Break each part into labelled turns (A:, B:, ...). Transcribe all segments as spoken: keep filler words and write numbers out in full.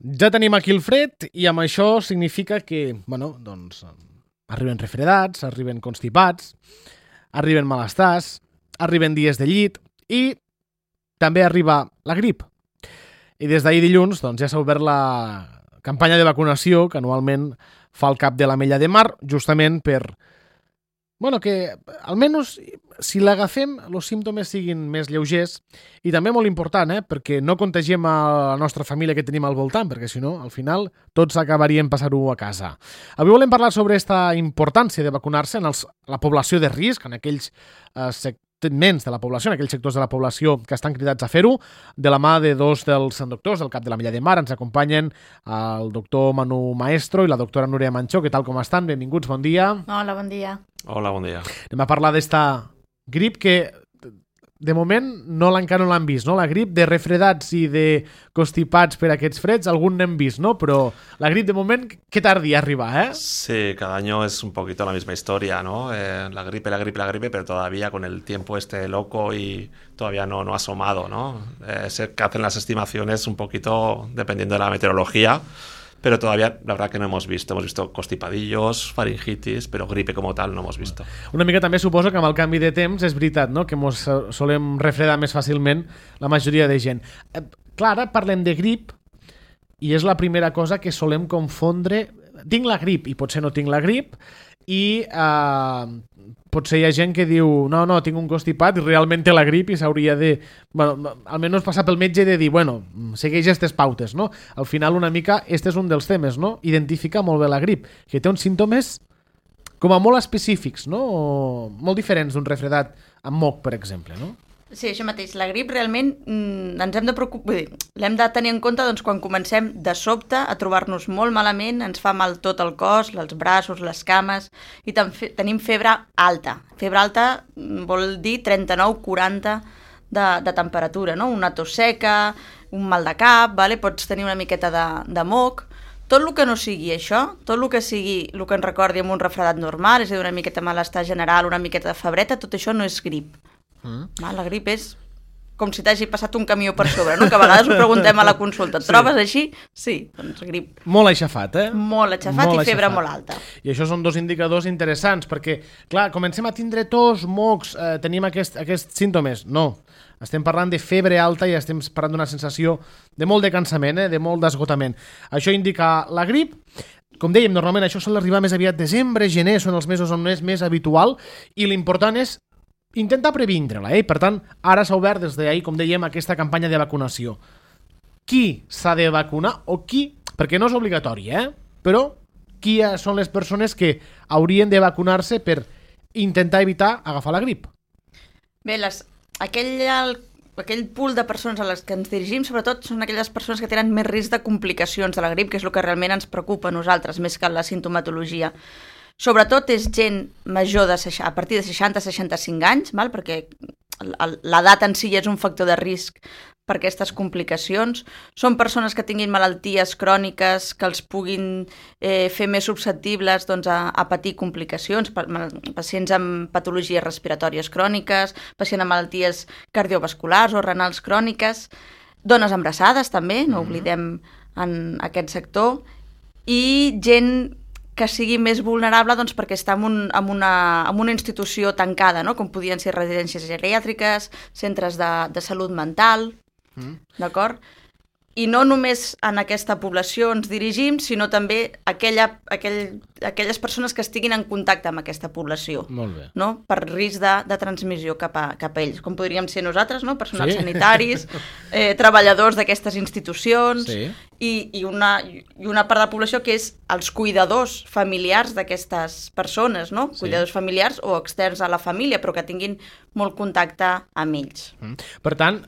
A: Ja tenim aquí el fred i amb això significa que, bueno, doncs, arriben refredats, arriben constipats, arriben malestars, arriben dies de llit i també arriba la grip. I des d'ahir dilluns doncs, ja s'ha obert la campanya de vacunació que anualment fa el cap de l'Ametlla de Mar, justament per bueno, que almenys si l'agafem els símptomes siguin més lleugers i també molt important, eh, perquè no contagiem a la nostra família que tenim al voltant, perquè si no, al final tots acabaríem passar-ho a casa. Avui volem parlar sobre aquesta importància de vacunar-se en els, la població de risc, en aquells eh, segments de la població, en aquells sectors de la població que estan cridats a fer-ho, de la mà de dos dels doctors del cap de l'Ametlla de Mar. Ens acompanyen el doctor Manu Maestro i la doctora Núria Manchó. Què tal, com estan? Benvinguts, bon dia.
B: Hola, bon dia.
C: Hola, bon dia.
A: Anem a parlar d'esta grip que de moment no encara no l'han vist, no? La grip de refredats i de constipats per aquests freds, algun n'hem vist, ¿no? Però la grip de moment, ¿qué tardía arriba, eh?
C: Sí, cada año es un poquito la misma historia, ¿no? Eh, la gripe, la gripe, la gripe, pero todavía con el tiempo este loco y todavía no, no ha asomado, ¿no? Eh, se hacen las estimaciones un poquito dependiendo de la meteorología, pero todavía la verdad que no hemos visto. Hemos visto constipadillos, faringitis, pero gripe como tal no hemos visto.
A: Una mica també suposo que amb el canvi de temps és veritat, no?, que mos solem refredar més fàcilment la majoria de gent. Eh, clar, ara parlem de grip i és la primera cosa que solem confondre. Tinc la grip i potser no tinc la grip i eh, potser hi ha gent que diu no, no, tinc un constipat i realment té la grip i s'hauria de, bueno, almenys passar pel metge de dir, bueno, segueix aquestes pautes, no? Al final una mica, este és un dels temes, no? Identificar molt bé la grip, que té uns símptomes com a molt específics, no? O molt diferents d'un refredat amb moc, per exemple, no?
B: Sí, això mateix. La grip realment mm, ens hem de preocupar, vull dir, l'hem de tenir en compte doncs, quan comencem de sobte a trobar-nos molt malament, ens fa mal tot el cos, els braços, les cames, i fe, tenim febre alta. Febre alta vol dir trenta-nou quaranta de, de temperatura, no? Una tos seca, un mal de cap, vale? Pots tenir una miqueta de, de moc. Tot el que no sigui això, tot el que sigui el que ens recordi amb un refredat normal, és a dir, una miqueta malestar general, una miqueta de febreta, tot això no és grip. Mm. La grip és com si t'hagi passat un camió per sobre, no? Que a vegades ho preguntem a la consulta. Et sí. Trobes així? Sí, doncs grip.
A: Molt aixafat, eh?
B: Molt aixafat molt i febre
A: aixafat.
B: Molt alta.
A: I això són dos indicadors interessants, perquè, clar, comencem a tindre tos, mocs, eh, tenim aquest, aquests símptomes. No, estem parlant de febre alta i estem parlant d'una sensació de molt de cansament, eh? De molt d'esgotament. Això indica la grip. Com dèiem, normalment això sol arribar més aviat desembre, gener, són els mesos on és més habitual, i l'important és intentar previndre-la, eh? Per tant, ara s'ha obert des d'ahir, com dèiem, aquesta campanya de vacunació. Qui s'ha de vacunar o qui, perquè no és obligatori, eh? Però qui són les persones que haurien de vacunar-se per intentar evitar agafar la grip?
B: Bé, les, aquell, el, aquell pool de persones a les que ens dirigim, sobretot, són aquelles persones que tenen més risc de complicacions de la grip, que és el que realment ens preocupa a nosaltres, més que la sintomatologia. Sobretot és gent major de a partir de seixanta a seixanta-cinc anys, val? Perquè l'edat en si és un factor de risc per aquestes complicacions. Són persones que tinguin malalties cròniques que els puguin eh, fer més susceptibles doncs, a, a patir complicacions, pacients amb patologies respiratòries cròniques, pacients amb malalties cardiovasculars o renals cròniques, dones embarassades també, no oblidem en aquest sector, i gent que sigui més vulnerable doncs, perquè està en, un, en, una, en una institució tancada, no? Com podien ser residències geriàtriques, centres de, de salut mental, mm. d'acord? I no només en aquesta població ens dirigim, sinó també aquella, aquell, aquelles persones que estiguin en contacte amb aquesta població.
A: Molt bé.
B: No? Per risc de, de transmissió cap a, cap a ells, com podríem ser nosaltres, no? Personals sí. sanitaris, eh, treballadors d'aquestes institucions, sí. i, i, una, i una part de la població que és els cuidadors familiars d'aquestes persones, no? Sí. Cuidadors familiars o externs a la família, però que tinguin molt contacte amb ells.
A: Mm. Per tant,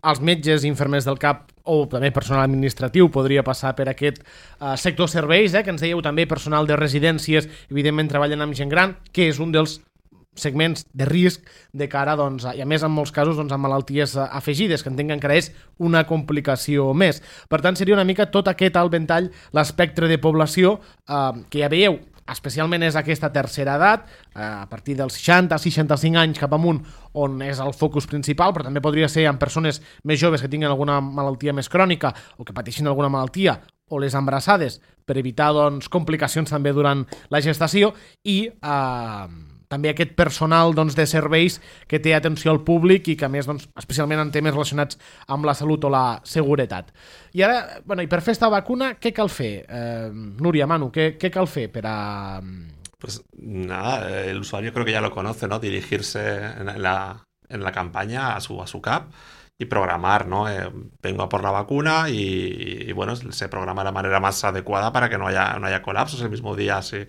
A: els metges i infermers del C A P o també personal administratiu podria passar per aquest uh, sector serveis, eh, que ens dèieu també personal de residències, evidentment treballen amb gent gran, que és un dels segments de risc de cara, doncs, i a més en molts casos doncs, amb malalties afegides, que entenc que encara és una complicació més. Per tant, seria una mica tot aquest alt ventall, l'espectre de població, eh, que ja veieu, especialment és aquesta tercera edat, a partir dels seixanta a seixanta-cinc anys cap amunt, on és el focus principal, però també podria ser en persones més joves que tinguin alguna malaltia més crònica o que pateixin alguna malaltia, o les embarassades, per evitar doncs, complicacions també durant la gestació, i eh, també aquest personal doncs, de serveis que té atenció al públic i que, a més, doncs, especialment en temes relacionats amb la salut o la seguretat. I ara, bueno, i per fer esta vacuna, què cal fer? Eh, Núria, Manu, què, què cal fer per a...
C: Pues nada, el usuario creo que ya lo conoce, ¿no? Dirigirse en la, en la campaña a su, a su C A P y programar, ¿no? Eh, vengo a por la vacuna y, y, bueno, se programa de la manera más adecuada para que no haya, no haya colapsos el mismo día, así.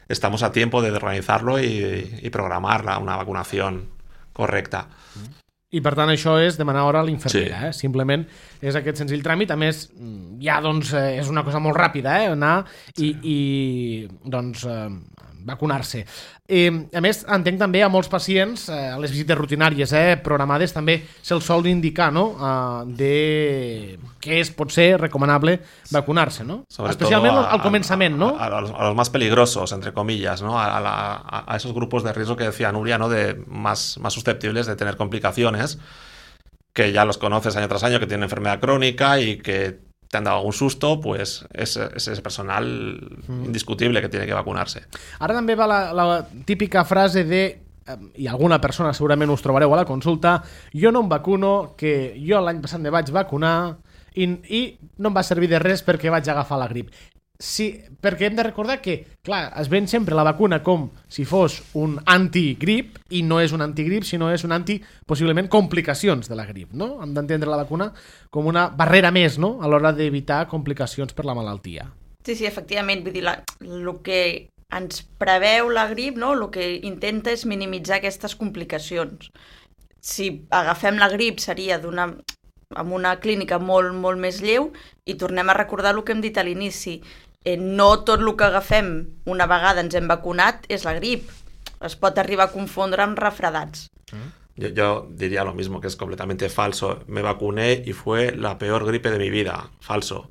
C: Estamos a tiempo de organizarlo y, y programar la, una vacunación correcta.
A: I per tant això és demanar hora a l'infermera,
C: Sí.
A: eh? Simplement és aquest senzill tràmit. A més, ja doncs eh, és una cosa molt ràpida, eh? Anar i, i doncs eh, vacunar-se. Eh, a més, entenc també a molts pacients, eh, a les visites rutinàries eh, programades, també se'ls sol indicar, no?, eh, de què és, pot ser recomanable vacunar-se, no?
C: Sobre
A: Especialment
C: todo a,
A: al començament, ¿no?
C: A, a, a, los, a los más peligrosos, entre comillas, ¿no? A, a, a esos grupos de riesgo que decía Nuria, ¿no? De más, más susceptibles de tener complicaciones, que ya los conoces año tras año, que tienen enfermedad crónica y que te han dado algún susto, pues es, es ese personal mm. indiscutible que tiene que vacunarse.
A: Ara també va la, la típica frase de, i alguna persona segurament us trobareu a la consulta, jo no em vacuno, que jo l'any passat me vaig vacunar i, i no em va servir de res perquè vaig agafar la grip. Sí, perquè hem de recordar que, clar, es ven sempre la vacuna com si fos un antigrip i no és un antigrip, sinó és un anti, possiblement, complicacions de la grip, no? Hem d'entendre la vacuna com una barrera més, no?, a l'hora d'evitar complicacions per la malaltia.
B: Sí, sí, efectivament, vull dir, la, el que ens preveu la grip, no?, el que intenta és minimitzar aquestes complicacions. Si agafem la grip seria d'una amb una clínica molt, molt més lleu, i tornem a recordar el que hem dit a l'inici. Eh, no tot el que agafem una vegada ens hem vacunat és la grip. Es pot arribar a confondre amb refredats.
C: Yo, yo diría lo mismo, que es completamente falso. Me vacuné y fue la peor gripe de mi vida. Falso.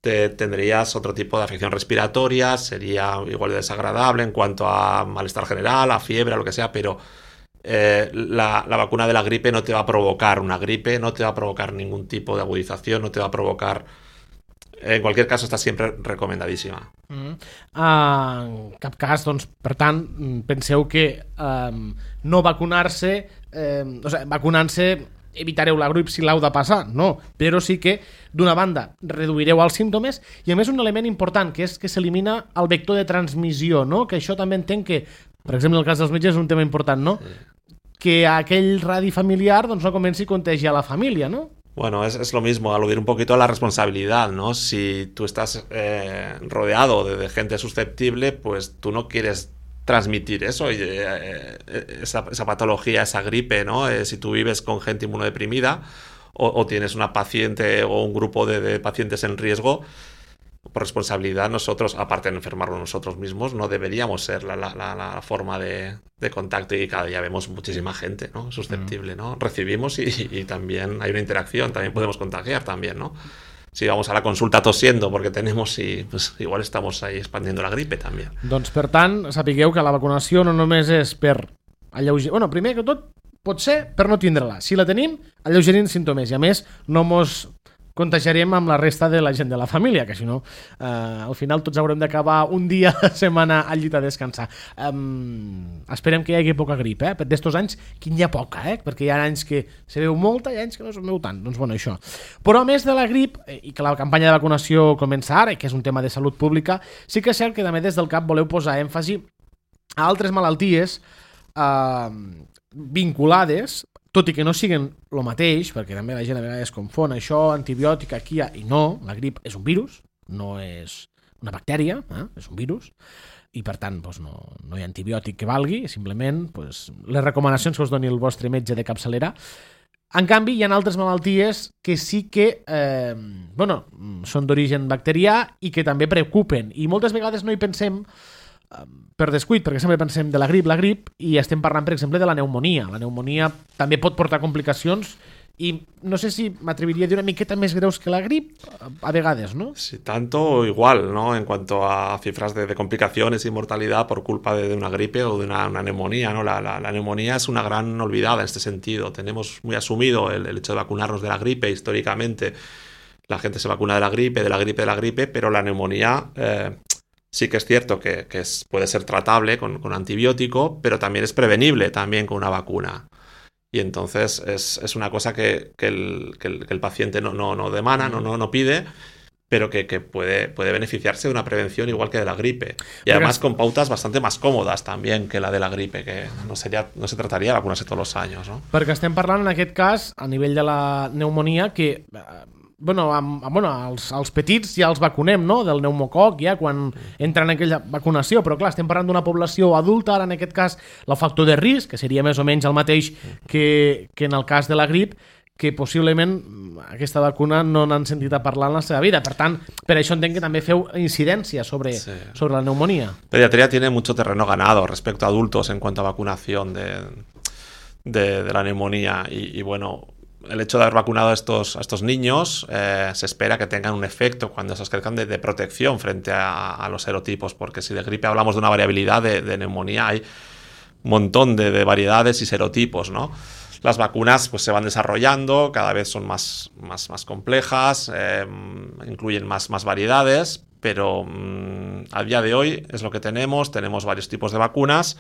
C: Te, tendrías otro tipo de afección respiratoria, sería igual de desagradable en cuanto a malestar general, a fiebre, a lo que sea, pero eh, la, la vacuna de la gripe no te va a provocar una gripe, no te va a provocar ningún tipo de agudización, no te va a provocar... En cualquier caso, està sempre recomendadíssima.
A: Mm. Uh, en cap cas, doncs, per tant, penseu que um, no vacunar-se, um, o sigui, vacunant-se evitareu la grip si l'heu de passar, no, però sí que, d'una banda, reduireu els símptomes i, a més, un element important, que és que s'elimina el vector de transmissió, no? Que això també entenc que, per exemple, en el cas dels metges és un tema important, no? Sí. Que aquell radi familiar doncs, no comenci a contagiar la família, no?
C: Bueno, es, es lo mismo, aludir un poquito a la responsabilidad, ¿no? Si tú estás eh, rodeado de, de gente susceptible, pues tú no quieres transmitir eso, y, eh, esa, esa patología, esa gripe, ¿no? Eh, si tú vives con gente inmunodeprimida o, o tienes una paciente o un grupo de, de pacientes en riesgo, por responsabilidad nosotros, aparte de enfermarnos nosotros mismos, no deberíamos ser la, la, la, la forma de, de contacto, y cada día vemos muchísima gente, ¿no? Susceptible, ¿no? Recibimos y, y también hay una interacción, también podemos contagiar también, ¿no? Si vamos a la consulta tosiendo porque tenemos, y pues igual estamos ahí expandiendo la gripe también.
A: Doncs per tant, sapigueu que la vacunació no només és per alleugerir... Bueno, primer que tot, pot ser per no tindre-la. Si la tenim, alleugerim símptomes i, a més, no mos contagiarem amb la resta de la gent de la família, que si no, eh, al final tots haurem d'acabar un dia a la setmana al llit a descansar. Um, esperem que hi hagi poca grip, eh? Per d'estos anys, que n'hi ha poca, eh? Perquè hi ha anys que se veu molta i anys que no se veu tant. Doncs bueno, això. Però a més de la grip, i que la campanya de vacunació comença ara, i que és un tema de salut pública, sí que és cert que també des del C A P voleu posar èmfasi a altres malalties eh, vinculades, tot i que no siguen el mateix, perquè també la gent a vegades confon això, antibiòtic, aquí i no, la grip és un virus, no és una bactèria, eh? És un virus, i per tant doncs no, no hi ha antibiòtic que valgui, simplement doncs, les recomanacions que us doni el vostre metge de capçalera. En canvi, hi ha altres malalties que sí que eh, bueno, són d'origen bacterià i que també preocupen, i moltes vegades no hi pensem per descuit, perquè sempre pensem de la grip, la grip, i estem parlant, per exemple, de la pneumonia. La pneumonia també pot portar complicacions y no sé si m'atreviria a dir una miqueta més greus que la grip, a vegades, ¿no?
C: Sí, tanto o igual, ¿no? En cuanto a cifras de, de complicaciones y mortalidad por culpa de, de una gripe o de una, una neumonía, ¿no? La, la, la neumonía es una gran olvidada en este sentido. Tenemos muy asumido el, el hecho de vacunarnos de la gripe históricamente. La gente se vacuna de la gripe, de la gripe, de la gripe, pero la neumonía eh, sí que es cierto que, que es, puede ser tratable con, con antibiótico, pero también es prevenible también con una vacuna. Y entonces es, es una cosa que, que, el, que, el, que el paciente no, no, no demanda, no, no, no pide, pero que, que puede, puede beneficiarse de una prevención igual que de la gripe. Y además con pautas bastante más cómodas también que la de la gripe, que no, sería, no se trataría de vacunarse todos los años, ¿no?
A: Perquè estem parlant en aquest cas, a nivell de la pneumonia, que bueno, amb, bueno els, els petits ja els vacunem, no?, del pneumococ ja quan entren en aquella vacunació, però clar, estem parlant d'una població adulta, ara en aquest cas el factor de risc, que seria més o menys el mateix que, que en el cas de la grip, que possiblement aquesta vacuna no n'han sentit a parlar en la seva vida. Per tant, per això entenc que també feu incidència sobre, sí. sobre la neumonía.
C: Pediatría tiene mucho terreno ganado respecto a adultos en cuanto a vacunación de, de, de la neumonía y, y bueno, el hecho de haber vacunado a estos, a estos niños eh, se espera que tengan un efecto cuando se crezcan de, de protección frente a, a los serotipos, porque si de gripe hablamos de una variabilidad, de, de neumonía hay un montón de, de variedades y serotipos, ¿no? Las vacunas pues se van desarrollando, cada vez son más, más, más complejas, eh, incluyen más, más variedades, pero mmm, a día de hoy es lo que tenemos, tenemos varios tipos de vacunas.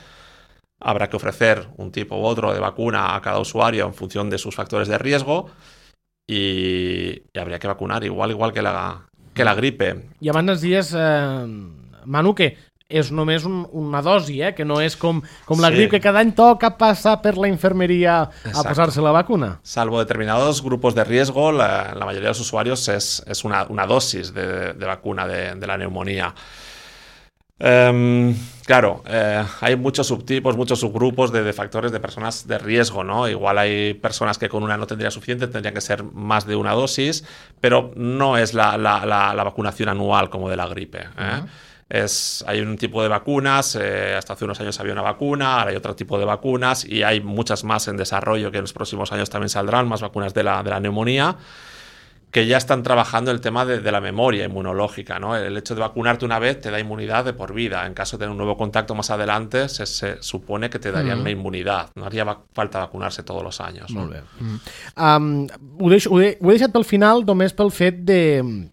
C: Habrá que ofrecer un tipo u otro de vacuna a cada usuario en función de sus factores de riesgo y, y habría que vacunar igual igual que la, que la gripe.
A: I abans ens dies, eh, Manu, que és només un, una dosi, eh? Que no és com, com la sí. grip, que cada any toca passar per la infermeria a posar-se la vacuna.
C: Salvo determinados grupos de riesgo, la, la mayoría de los usuarios es, es una, una dosis de, de vacuna de, de la neumonía. Um, claro, eh, hay muchos subtipos, muchos subgrupos de, de factores de personas de riesgo, ¿no? Igual hay personas que con una no tendría suficiente, tendría que ser más de una dosis, pero no es la, la, la, la vacunación anual como de la gripe, ¿eh? Uh-huh. Es, hay un tipo de vacunas, eh, hasta hace unos años había una vacuna, ahora hay otro tipo de vacunas y hay muchas más en desarrollo que en los próximos años también saldrán, más vacunas de la, de la neumonía, que ya están trabajando el tema de, de la memoria inmunológica, ¿no? El hecho de vacunarte una vez te da inmunidad de por vida. En caso de tener un nuevo contacto más adelante, se, se supone que te darían mm. una inmunidad. No haría va falta vacunarse todos los años.
A: Molt bé. Mm. Um, ho, deixo, ho, he, ho he deixat pel final només pel fet de...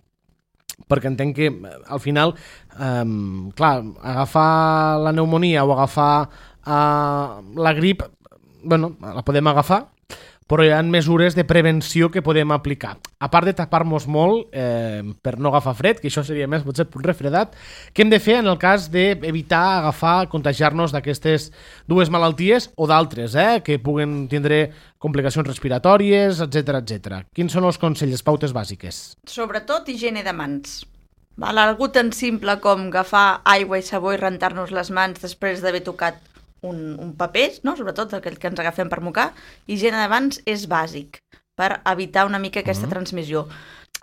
A: perquè entenc que al final, um, clar, agafar la pneumonia o agafar uh, la grip, bueno, la podem agafar, però hi ha mesures de prevenció que podem aplicar. A part de tapar-nos molt eh, per no agafar fred, que això seria més potser un refredat, què hem de fer en el cas d'evitar agafar, contagiar-nos d'aquestes dues malalties o d'altres, eh, que puguen tindre complicacions respiratòries, etcètera, etcètera. Quins són els consells, les pautes bàsiques?
B: Sobretot higiene de mans. Val? Algú tan simple com agafar aigua i sabó i rentar-nos les mans després d'haver tocat Un, un paper, no? Sobretot aquell que ens agafem per mocar, higiene de mans és bàsic per evitar una mica aquesta uh-huh. transmissió.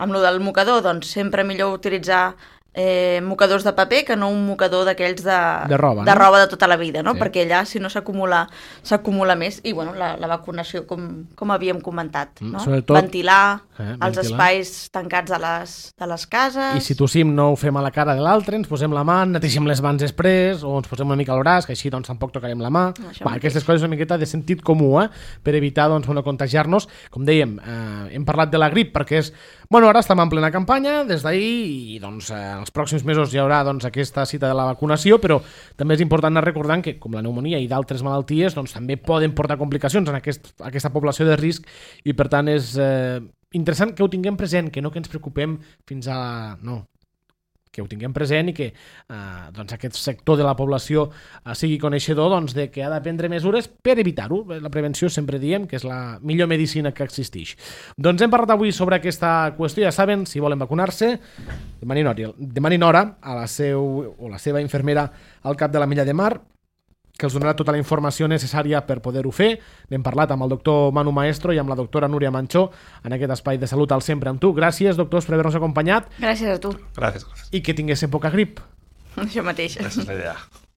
B: Amb lo del mocador, doncs sempre millor utilitzar eh, mocadors de paper que no un mocador d'aquells de,
A: de, roba,
B: de
A: no?
B: roba de tota la vida, no?
A: Sí.
B: Perquè allà si no s'acumula s'acumula més i bueno, la, la vacunació com, com havíem comentat, no?
A: Sobretot,
B: ventilar
A: eh,
B: els ventilar. espais tancats de les, de les cases.
A: I si tossim no ho fem a la cara de l'altre, ens posem la mà, netegem les mans després o ens posem una mica al braç, que així doncs tampoc tocarem la mà. Va, aquestes coses una miqueta de sentit comú, eh? Per evitar doncs, bueno, contagiar-nos. Com dèiem, eh, hem parlat de la grip perquè és... Bueno, ara estem en plena campanya des d'ahir i doncs eh, els pròxims mesos hi haurà doncs, aquesta cita de la vacunació, però també és important anar recordant que com la pneumonia i d'altres malalties doncs, també poden portar complicacions en aquest, aquesta població de risc i per tant és eh, interessant que ho tinguem present, que no que ens preocupem fins a... No, que ho tinguem present i que eh, doncs aquest sector de la població eh, sigui coneixedor doncs, de que ha de prendre mesures per evitar-ho. La prevenció sempre diem que és la millor medicina que existeix. Doncs hem parlat avui sobre aquesta qüestió. Ja saben, si volen vacunar-se, demanin hora, demanin hora a la, seu, o la seva infermera al cap de la Milla de Mar, que els donarà tota la informació necessària per poder-ho fer. N'hem parlat amb el doctor Manu Maestro i amb la doctora Núria Manchó en aquest espai de salut al Sempre amb tu. Gràcies, doctors, per haver-nos acompanyat.
B: Gràcies a tu.
C: Gràcies, gràcies.
A: I que tinguéssim poca grip.
B: Això mateix.
C: Esa és la idea.